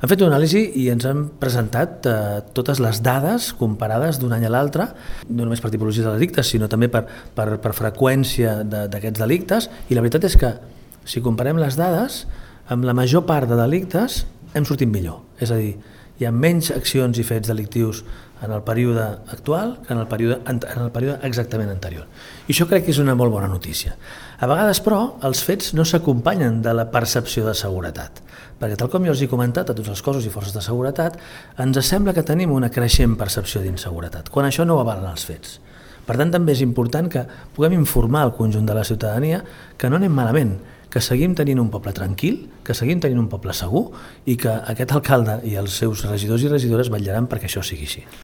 Han fet una anàlisi i ens han presentat totes les dades comparades d'un any a l'altre, no només per tipologia de delictes, sinó també per freqüència d'aquests delictes, i la veritat és que si comparem les dades, amb la major part de delictes hem sortit millor. És a dir, hi ha menys accions i fets delictius en el període actual que en el període exactament anterior. I això crec que és una molt bona notícia. A vegades, però, els fets no s'acompanyen de la percepció de seguretat, perquè tal com jo els he comentat a tots els cossos i forces de seguretat, ens sembla que tenim una creixent percepció d'inseguretat, quan això no ho avalen els fets. Per tant, també és important que puguem informar el conjunt de la ciutadania que no anem malament, que seguim tenint un poble tranquil, que seguim tenint un poble segur i que aquest alcalde i els seus regidors i regidores vetllaran perquè això sigui així.